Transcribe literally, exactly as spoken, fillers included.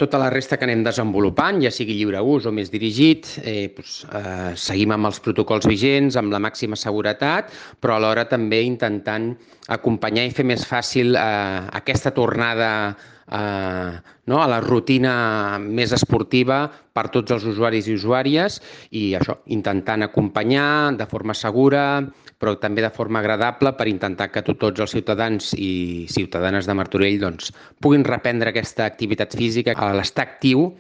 tota la resta que anem desenvolupant, ja sigui lliure ús o més dirigit, eh, doncs, eh, seguim amb els protocols vigents, amb la màxima seguretat, però alhora també intentant acompanyar i fer més fàcil eh, aquesta tornada eh, no, a la rutina més esportiva per tots els usuaris i usuàries i això, intentant acompanyar de forma segura, però també de forma agradable per intentar que tots els ciutadans i ciutadanes de Martorell doncs, puguin reprendre aquesta activitat física, l'estar actiu